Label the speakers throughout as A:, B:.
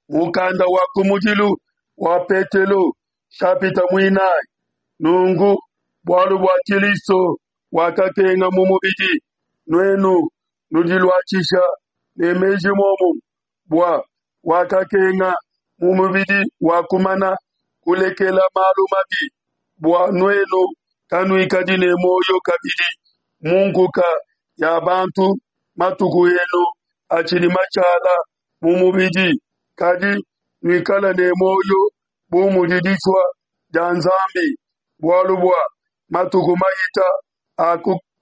A: Mukanda wa kumudilu wa Petelo, shapita muinayi. Nunku bualu bua Kilisto wakakenga mu mubidi, nuenu nudiluatshisha ne meji muomumue, bua wakakenga mu mubidi wakumana kulekela malu mabi, bua nuenu kanuikadi ne muoyo kabidi mu nkuka ya bantu matuku enu atshidi mashala mu mubidi, kadi nuikala ne muoyo bu mudi disua dia Nzambi, bualu bua matuku mahita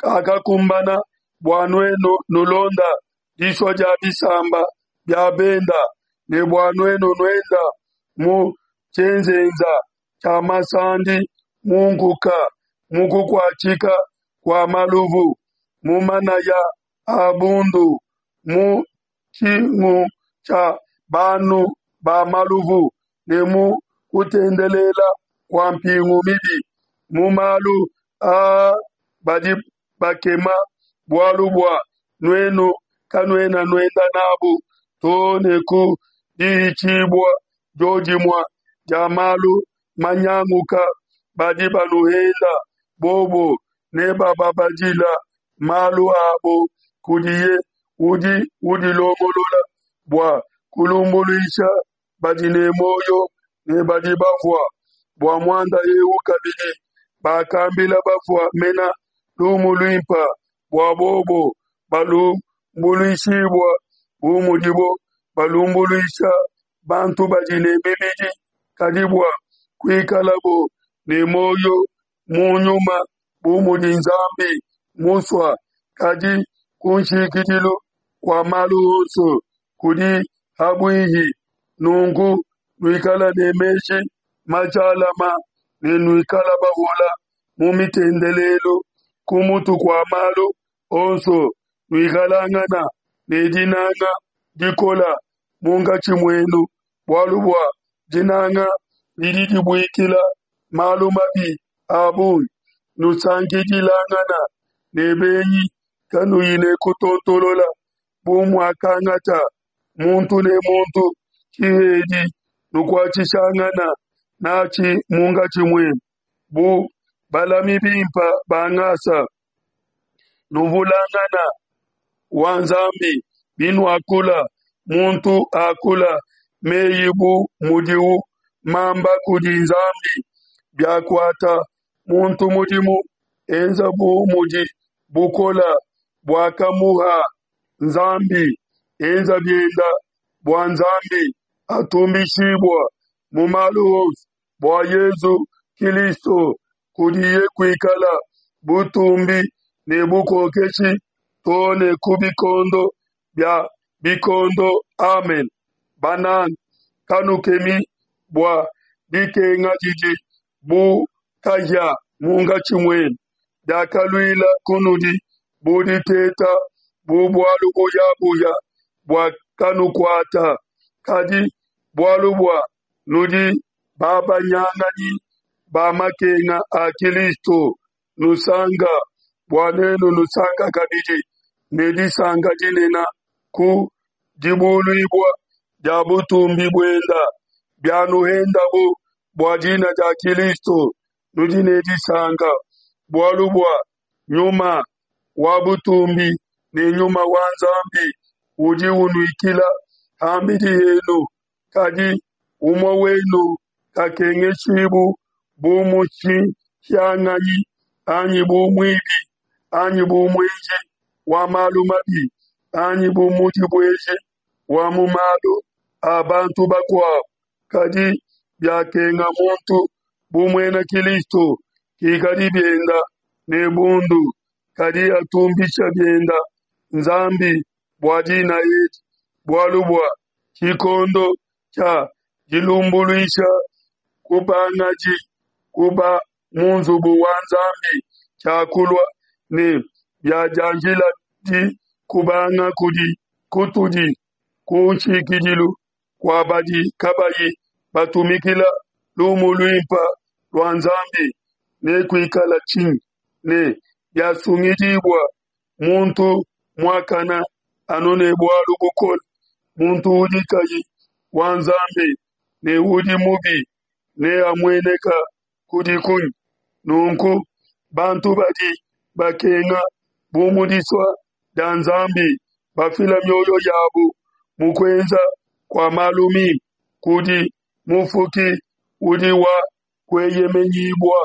A: akakumbana bua nuenu nulonda disua dia bisamba bia benda, ne bua nuenu nuenda mu tshienzenza tshia masandi, mu nkuka, mu kukuatshika kua maluvu, mu manaya a bundu, mu tshingu tshia banu ba maluvu, ne mu kutendelela kua mpingu mibi. Mu malu aa badi bakema bualu bua nuenu kanuena nuenda nabu too ne ku dihitshibua diodimue dia malu manyanguka. Badi banuhenda bobo nebababadila malu abo kudiye udi udilongolola bua kulumbuluisha badi ne muoyo ne badi bafua. Bua muanda eu kabidi bakambila bafua mena lumu luimpe, bua bobo balumbuluishibua bu mudibo balumbuluisha bantu badi ne mibidi, kadi bua kuikalabo ne muoyo mu nyuma bu mudi Nzambi musua. Kadi ku nshikidilu kua malu onso kudi habuihi. Nunku nuikala ne meji majalama ne nuikala bahola mu mitendelelu. Ku mutu kua malu onso nuikalangana ne dinanga dikola munkatshi muenu, bualu bua dinanga didi dibuikila malu mabi a bungi. Nusankidilangana ne benyi kanuyi ne kutontolola, bu muakangata muntu ne muntu tshihedi, nukuatshishangana natshi munkatshi muenu, bu balami bimpe ba ngasa. Nuvulangana wa Nzambi binuakula, muntu akula meyi bu mudiwu mamba kudi Nzambi. Biakuata muntu mudimu, enza bu mudi bukola buakamuha Nzambi, enza bienda bua Nzambi atumbishibua mu malu onso bua Yezu Kilisto, kudiye kuikala butumbi ne bukokeshi too ne ku bikondo bia bikondo. Amen. Bananga, kanukemi bua dikenga didi bu kahia munkatshi muenu, diakaluila kunudi bu diteta, bu bualu buyabuya bua kanukuata, kadi bualu bua nudi babanyanganyi ba makenga a Kilisto, nusanka bua nuenu nusanka kabidi ne disanka dinene ku dibuluibua dia butumbi buenda. Bianuhendabu bua dina dia Kilisto, nudi ne disanka, bualu bua Nyuma wa butumbi ne Nyuma wa Nzambi udi unuikila ham'bidi henu. Kadi umue wenu kakengeshibu bu mushihianganyi, anyi bu muibi, anyi bu muenji wa malu mabi, anyi bu mudibueji wa mu malu a bantu bakuabo. Kadi biakenga muntu bu muena Kilisto, kikadi bienda ne bundu, kadi atumbisha bienda Nzambi bua dina edi, bualu bua tshikondo tshia dilumbuluisha kubangaji kuba mu nzubu wa Nzambi tshiakulua, ne biadianjiladi kubanga kudi kutudi ku nshikidilu kua badi kabayi batumikila lumu luimpe lua Nzambi, nekuikala tshinyi? Ne biasungidibua muntu muakana anu ne bualu bukole, muntu udi kayi. wa Nzambi ne udi mubi neamueneke kudi kunyi? Nunku bantu badi bakenga bu mu disua dia Nzambi, bafila mioyo yabu mu kuenza kua malu mimpe kudi Mufuki udi wa kueyemenyibua.